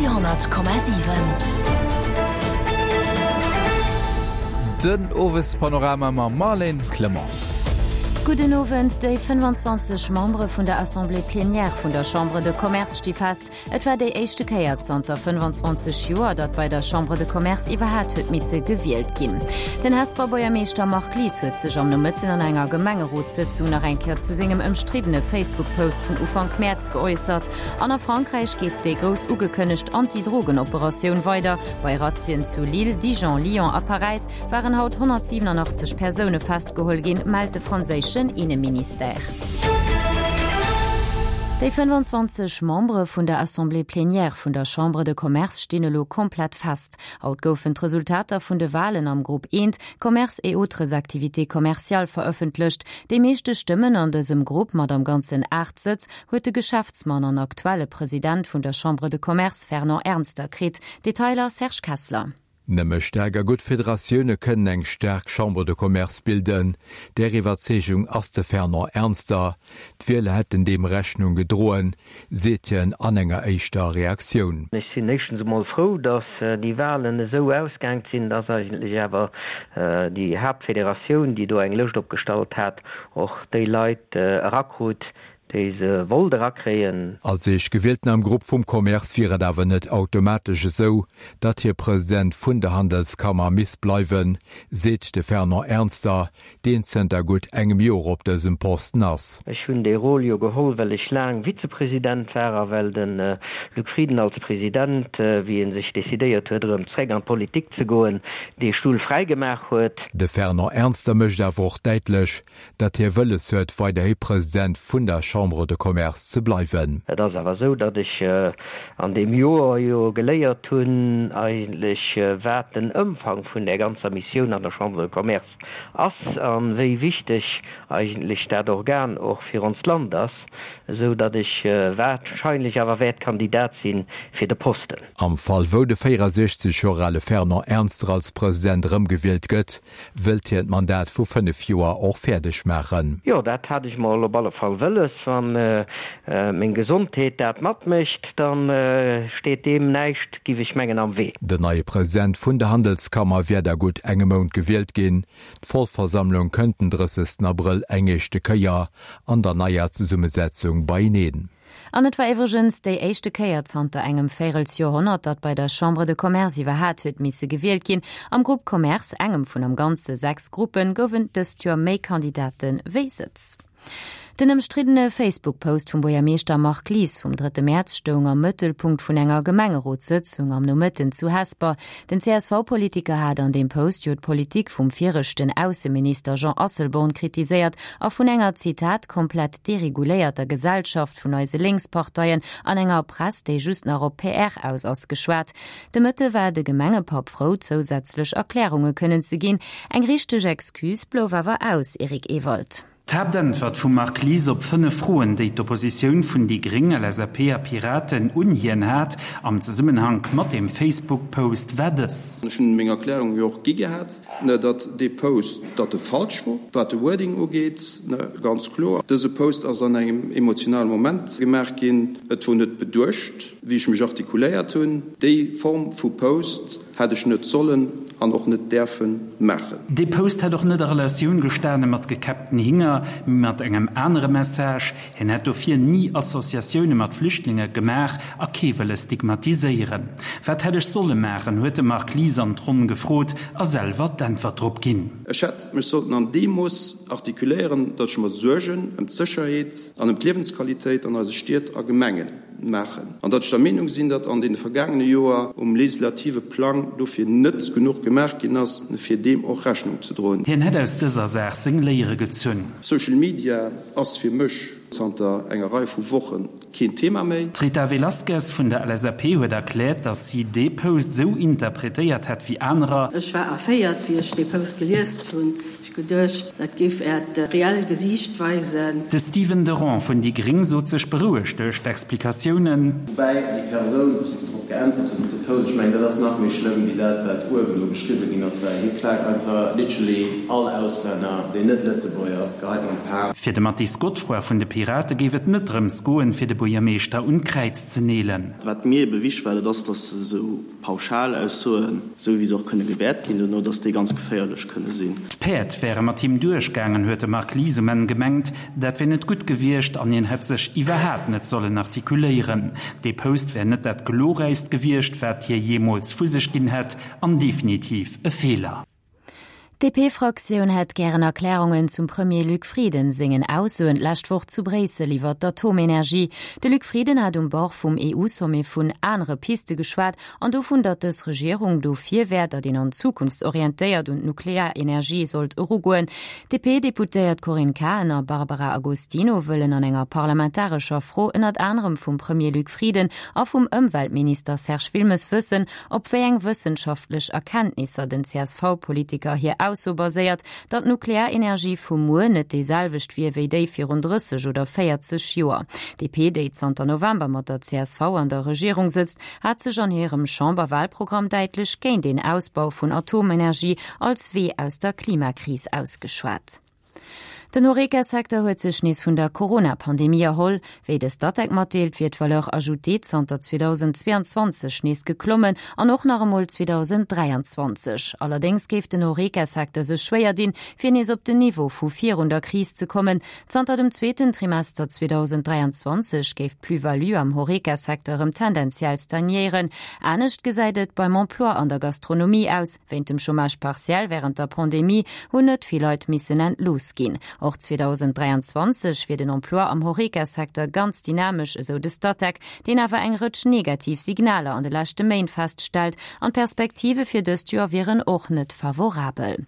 Radio 10,7. Den Owespanorama mam Marlène Clement. Gudden Owend. Déi 25 Membere vun der Assemblée plénière vun der Chambre de Commerce sti fest. Et war déi éischte Kéier zanter 25 Joer, datt bei der Chambre de Commerce iwwerhaat huet misse gewielt ginn. Den Hesper Buergermeeschter Marc Lies huet sech am Nomëtten an enger Gemengerotssëtzung nach eng Kéier zu sengem ëmstriddene Facebook-Post vun Ufank Mäerz geäussert. An a Frankräich geet déi grouss ugekënnegt Anti-Drogen-Operatioun weider. Bei Razzien zu Lille, Dijon, Lyon a Paräis waren haut 187 Persoune festgeholl ginn, mellt de franséischen Inneministère. Déi 25 Membere vun der Assemblée plénière vun der Chambre de Commerce stinn elo komplett fest. Haut goufen d'Resultater vun de Walen am Grupp I, Commerce et autres activités commerciales, verëffentlecht. Déi meeschte Stëmmen an dësem Grupp, mat am Ganzen 8 Sëtz, huet de Geschäftsmann an aktuelle President vun der Chambre de Commerce Fernand Ernster kritt. Detailer Serge Kessler. Nëmme staark a gutt Federatioune kënnen eng staark Chambre de Commerce bilden. Där Iwwerzeegung ass de Fernand Ernster. D'Wieler hätten deem Rechnung gedroen, seet hien an enger éischter Reaktioun. Ech sinn éischtens emol frou, datt déi Wahlen esou ausgaangt sinn, datt eigentlech awer déi Haaptfederatioun, déi do eng Lëscht opgestallt hat, och déi Leit erakrut, déi se wollt erakréien. Als Éischtgewielten am Grupp vum Commerce wier et awer net automatesch esou, datt hie President vun der Handelskammer misst bleiwen, seet de Fernand Ernster, deen zënter gutt engem Joer op dësem Posten ass. Ech hunn dee Rôle jo geholl, well ech laang Vizepresident war a well de Luc Frieden als President, wéi e sech decidéiert huet, erëm zréck an d'Politik ze goen, dee Stull fräigemaach huet. De Fernand Ernster mécht awer och däitlech, datt hie wëlles huet, weiderhi President vun der Chambre de Commerce ze bleiwen. Et ass awer esou, datt ech an deem Joer jo geléiert hunn eigentlech, wat den Ëmfang vun där ganzer Missioun an der Chambre de Commerce ass a wéi wichteg eigentlech dat Organ och fir onst Land ass, esou datt ech wahrscheinlech awer wäert Kandidat si fir de Posten. Am Fall wou de 64 Joer ale Fernand Ernster als President erëmgewielt gëtt, Wëllt hien d'Mandat vu 5 Joer och fäerdeg maachen? Jo, dat hat ech mol op alle Fall wëlles. Wann meng Gesondheet dat matmécht, da steet deem näischt, giff ech mengen, am Wee. Den neie President vun der Handelskammer wäert a gutt engem Mount gewielt ginn. D'Vollversammlung kënnt den 30 Abrëll eng éischte Kéier an der neier Zesummesetzung beieneen. An et war iwwregens déi éischte Kéier zanter engem Véirelsjoerhonnert, datt bei der Chambre de Commerce iwwerhaat huet misse gewielt ginn. Am Grupp Commerce, engem vun am Ganze 6 Gruppen, goufen dëst Joer méi Kandidate wéi Sëtz. Den ëmstriddene Facebook-Post vum Buergermeeschter Marc Lies vum drëtte Mäerz stoung am Mëttelpunkt vun enger Gemengerotssëtzung am Nomëtten zu Hesper. Den CSV-Politiker hat an deem Post jo d'Politik vum viregten Ausseminister Jean Asselborn kritiséiert a vun enger, Zitat, komplett dereguléierter Gesellschaft vun eise Lénksparteien an enger Press, déi just nach op PR aus ass, geschwat. De Mëtte war de Gemengepapp frou, zousätzlech Erklärunge kënnen ze ginn. Eng richteg Excuse blouf awer aus, Eric Ewald. D'Haaptäntwert vum Marc Lies op 5 Froen, déi d'Oppositioun vun déi Gréng, LSAP a Piraten un hien hat am Zesummenhank mat deem Facebook-Post, war dës. Ech hunn meng Erklärung jo och gi gehat. Datt dee Post, datt e falsch wor, wat de Wording ugeet, ganz kloer. Dëse Post ass an engem emotionale Moment gemaach ginn. Et wor net beduecht, wéi ech mech artikuléiert hunn. Déi Form vu Post hätt ech net sollen an och net däerfe maachen. Dee Post hätt och net a Relatioun gestane mat gekäppten Hinger, mee mat engem anere Message. Hien hätt dofir ni Associatioune mat Flüchtlinge gemaach a kee wëlle stigmatiséieren. Wat hätt ech solle maachen, huet de Marc Lies an d'Ronn gefrot a selwer d'Äntwert drop ginn. Ech hätt mech sollten an deem Mooss artikuléieren, datt ech mer Suergen ëm d'Sécherheet an ëm d'Liewensqualitéit an eise Stied a Gemenge maachen an datt ech der Meenung sinn, datt an deene vergaangene Joer um legislative Plang dofir net genuch gemaach ginn ass, fir deem och Rechnung ze droen. Hien hätt aus dëser Saach seng Léiere gezunn. Social Media ass fir mech zanter enger Rei vu Woche keen Thema méi. D'Rita Velasquez vun der LSAP huet erkläert, datt si dee Post esou interpretéiert hätt wéi anerer. Ech war erféiert, wéi ech dee Post geliest hunn. Ech geduecht, dat géif Äert reell Gesiicht weisen. De Stephen De Ron vun déi Gréng sot sech berouegt duerch d'Explikatiounen. Woubäi déi Persoun, wou s de drop. geäntwert hues op de Post. Ech mengen, dat ass nach méi schlëmm wéi dat, wat uewen do geschriwwe ginn ass, well hie klaakt einfach literally all Auslänner, deen net Lëtzebuerger ass, geheit an d'Pan. Fir de Mathis Godefroid vun de Pirate géif et net drëms goen, fir de Buergermeeschter un d'Kräiz ze neelen. Wat mir ebe wichteg war, dat ass, datt esou Pauschalaussoen, esou wéi se och kënne gewäert ginn dono, datt déi ganz geféierlech kënne sinn. D'Päerd wäre mat him duerchgaangen, huet de Marc Lies um Enn gemengt. Dat wär net gutt gewiescht an hien hätt sech iwwerhaat net sollen artikuléieren. Dee Post wär net dat glorräichst gewiescht, wat hie jeemools vu sech ginn hätt an definitiv e Feeler. D'DP-Fraktioun hätt gären Erklärungen zum Premier Luc Frieden sengen Aussoen d'lescht Woch zu Bréissel iwwer d'Atomenergie. De Luc Frieden hat um Bord vum EU-Sommet vun anere Piste geschwat an dovun, datt dës Regierung dofir wär, datt een an zukunftsorientéiert un d'Nuklearenergie sollt erugoen. D'DP-Deputéiert Corinne Cahen a Barbara Agostino wëllen an enger parlamentarescher Fro ënnert anerem vum Premier Luc Frieden a vum Ëmweltminister Serge Wilmes wëssen, Op wéi eng wëssenschaftlech Erkenntnisser den CSV-Politiker hir Ausso baséiert, datt d'Nuklearenergie vu muer net déi selwecht wier wéi déi virun 30 oder 40 Joer. DP, déi zanter November mat der csv an der Regierung sëtzt, hat sech an hirem Chamberwalprogramm däitlech géint een Ausbau vun Atomenergie als Wee aus der Klimakris ausgeschwat. Den Horeca-Secteur huet sech nees vun der Corona-Pandemie erholl. Wéi de Statec matdeelt, wier d'Valeur ajoutée zanter 2022 nees geklommen an och nach emol 2023. Allerdéngs géif den Horeca-Secteur sech schwéier dinn, fir nees op den Niveau vu virun der Kris ze kommen. Zanter dem zweeten Trimester 2023 géif d'Plus-value am Horeca-Secteur erëm tendenziell stagnéieren. Anescht gesäit et beim Emploi an der Gastronomie aus. Wéint dem Chômage partiel wärend der Pandemie hunn net vill Leit missen entlooss ginn. Och 2023 wier den Emploi am Horeca-Secteur ganz dynamesch, esou de Statec, deen awer eng Rëtsch negativ Signaler an de leschte Méint feststellt. An d'Perspektive fir dëst Joer wieren och net favorabel.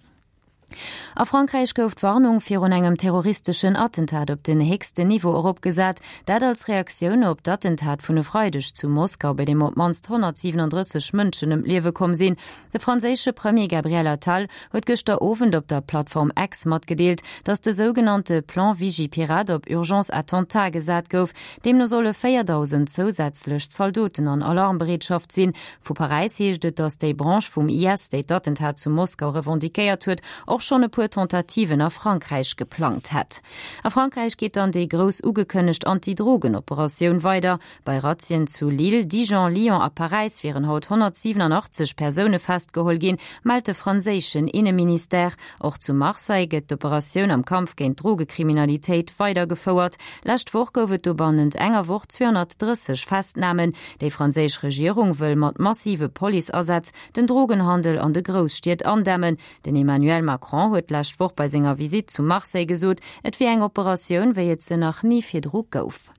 A Frankräich gouf d'Warnung virun engem terroristeschen Attentat op den héchsten Niveau eropgesat. Dat als Reaktioun op d'Attentat vun e Freideg zu Moskau, bei deem op d'mannst 137 Mënschen ëm d'Liewe komm sinn. De franséische Premier Gabriel Attal huet gëschter Owend op der Plattform X matgedeelt, datt de sougenannte Plan Vigipirate op Urgence Attentat gesat gouf. Deemno solle 4.000 zousätzlech Zaldoten an Alarmbereetschaft sinn. Vu Paräis heescht et, datt déi Branche vum IS, déi d'Attentat zu Moskau revendiquéiert huet, och schonn e puer Tentativen a Frankräich geplangt hätt. A Frankräich geet dann déi grouss ugekënnegt Anti-Drogen-Operatioun weider. Bei Razzien zu Lille, Dijon, Lyon a Paräis wieren haut 187 Persoune festgeholl ginn, mellt de franséischen Inneministère. Och zu Marseille gëtt d'Operatioun am Kampf géint d'Drogekriminalitéit weidergefouert. Lescht Woch gouf et do bannent enger Woch 230 Festnamen. Déi franséisch Regierung wëll mat massive Policeasätz den Drogenhandel an de Grousstied andämmen. Den Emmanuel Macron huet d'lescht Woch bei senger Visitt zu Marseille gesot, et wier eng Operatioun, wéi et se nach ni virdru gouf.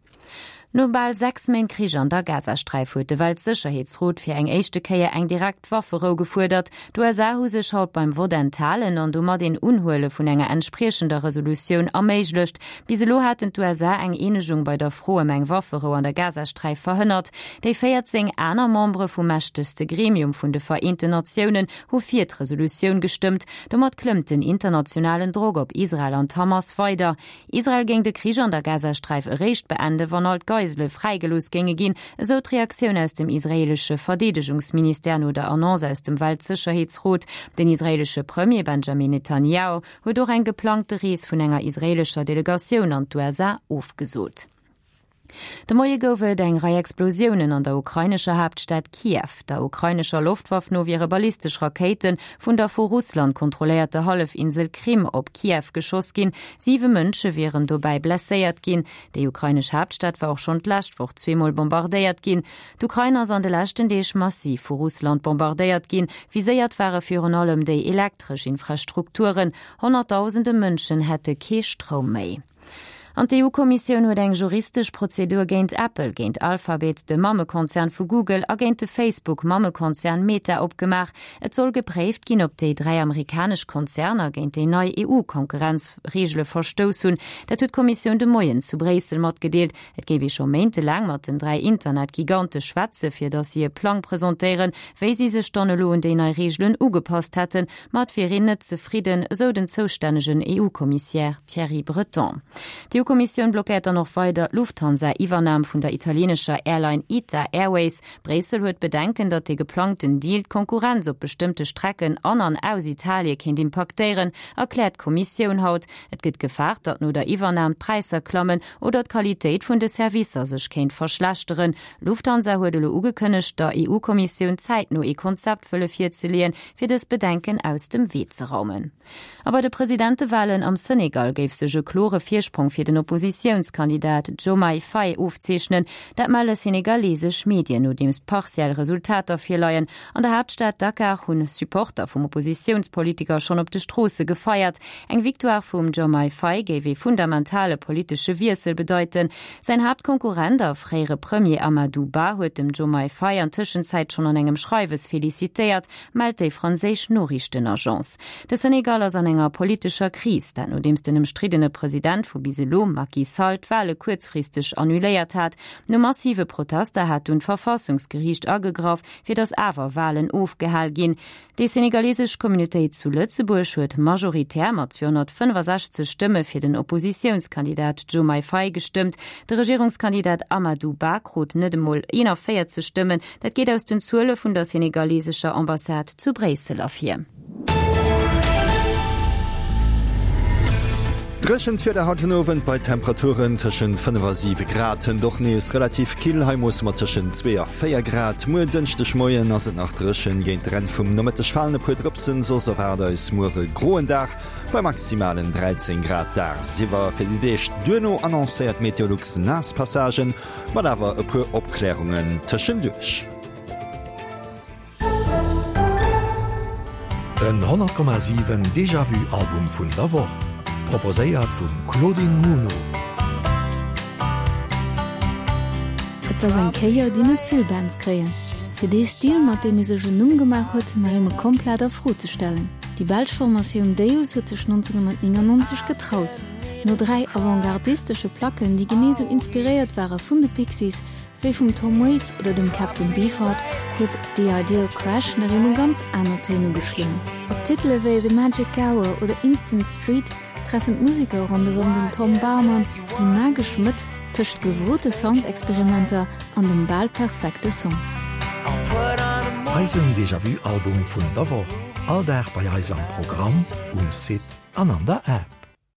No bal 6 Méint Krich an der Gazasträif huet de Weltsécherheetsrot fir eng éischte Kéier eng direkt Wafferou gefuerdert. D'USA hu sech haut beim Vott enthalen an domat een Unhuele vun enger entspriechender Resolutioun erméiglecht. Bis elo haten d'USA eng Eenegung bei der Fro ëm eng Wafferou an der Gazasträif verhënnert. Déi 14 aner Membere vum mächtegste Gremium vun de Vereenten Natiounen hu fir d'Resolutioun gestëmmt. Domat klëmmt den internationalen Drock op Israel an d'Hamas weider. Israel géing de Krich an der Gazasträif eréischt beende wann all d'Geisele fräigelooss géinge ginn, esou d'Reaktioun aus dem israeelesche Verdeedegungsministère no der Annonce aus dem Weltsécherheetsrot. Den israeelesche Premier Benjamin Netanjahu huet och eng geplangte Rees vun enger israeelescher Delegatioun an d'USA ofgesot. De Moie gouf et eng Rei Explosiounen an der ukrainescher Haaptstad Kiew. Der ukrainescher Loftwaff no wiere ballistesch Rakéite vun der vu Russland kontrolléierter Hallefinsel Krim op Kiew geschoss ginn. Siwe Mënsche wieren dobäi blesséiert ginn. Déi ukrainesch Haaptstad war och schonn d'lescht Woch zweemol bombardéiert ginn. D'Ukrain ass an de leschten Deeg massiv vu Russland bombardéiert ginn. Viséiert ware virun allem déi elektresch Infrastrukturen. Honnertdausende Mënschen hätte kee Stroum méi. An d'EU-Kommissioun huet eng juristesch Prozedur géint Apple, géint Alphabet, de Mammekonzern vu Google, a géint de Facebook-Mammekonzern Meta opgemaach. Et soll gepréift ginn, ob déi 3 amerikanesch Konzerner géint déi nei EU-Konkurrenzreegele verstouss hunn. Dat huet d'Kommissioun de Moien zu Bréissel matgedeelt. Et géif ee scho méintelaang mat den 3 Internetgigante schwätze fir datt si e Plang presentéieren, wéi si sech dann elo un déi nei Reegelen ugepasst hätten. Ma et wier een net zefridden, esou den zoustännegen EU-Kommissär Thierry Breton. D'EU-Kommissioun blockéiert dann och weider d'Lufthansa-Iwwernam vun der italieenescher Airline Ita Airways. Bréissel huet Bedenken, datt dee geplangten Deal d'Konkurrenz op bestëmmte Strecken an an aus Italie kéint impaktéieren, erkläert d'Kommissioun haut. Et gëtt gefaart, datt no der Iwwernam d'Präisser klammen oder d'Qualitéit vun de Servicer sech kéint verschlechteren. Lufthansa huet elo ugekënnegt, der EU-Kommissioun zäitno ee Konzept wëlle virzeleeën, fir dës Bedenken aus dem Wee ze raumen. A bei de Presidentewalen am Senegal géif sech e klore Virsprong fir den Oppositiounskandidat Diomaye Faye ofzeechnen. Dat melle senegalesesch Medien, nodeems partiell Resultater virleien. An der Haaptstad Dakar hunn Supporter vum Oppositiounspolitiker schonn op de Stroosse gefeiert. Eng Victoire vum Diomaye Faye géif ee fundamentale politesche Wiessel bedeiten. Säin Haaptkonkurrent a fréiere Premier Amadou Ba huet dem Diomaye Faye an Tëschenzäit schonn an engem Schreiwes felicitéiert, mellt déi franséisch Noriichtenagence. De Senegal ass an enger politescher Kris, dat nodeems den ëmstriddene President vu bis elo, Macky Sall, d'Wale kuerzfristeg annuléiert hat. No massive Protester hat dunn d'Verfassungsgeriicht agegraff, fir datt awer Walen ofgehal ginn. Déi senegalesesch Communautéit zu Lëtzebuerg huet majoritär mat 265 Stëmme fir den Oppositiounskandidat Diomaye Faye gestëmmt. De Regierungskandidat Amadou Ba krut net emol 41 Stëmmen. Dat geet aus den Zuele vun der senegalesescher Ambassade zu Bréissel ervir. Dréchent Wieder haut den Owend bei Temperaturen tëschent 5 a 7 Grad. Hënt och nees relativ kill, hei moosse mer tëschent 2 a 4 Grad. Muer Dënschdegmoien ass et nach dréchen, géint der Enn vum Nomëtteg falen e puer Drëpsen, soss erwaart eis muer e groen Dag bei maximalen 13 Grad dagsiwwer. Fir déi Deeg duerno annoncéiert Meteolux naass Passagen, mat awer e puer Opklärungen tëschenduerch. Den 100,7 Déjà-Vu Album vun der Woch, proposéiert vum Claudine Muno. Et ass eng Kéier, déi net vill Bands kréien, fir dee Stil, mat deem ee sech en Numm gemaach huet, nach eemol komplett a Fro ze stellen. Déi belsch Formatioun Deus huet sech 1999 getraut. No 3 avantgardistesche Placken, déi genee sou inspiréiert ware vun de Pixies, Wéi vum Tom Waits oder dem Captain Beefheart huet The Ideal Crash nach eemol ganz aner Téin ugeschloen. Op Titele wéi The Magic Hour oder Instant Street treffen d'Museker ronderëm den Tom Barman déi magesch Mëtt tëscht gewote Soundexperimenter an dem bal perfekte Song. Eisen Déjà-Vu Album vun der Woch, all Dag bei eis am Programm, um Site an an der App.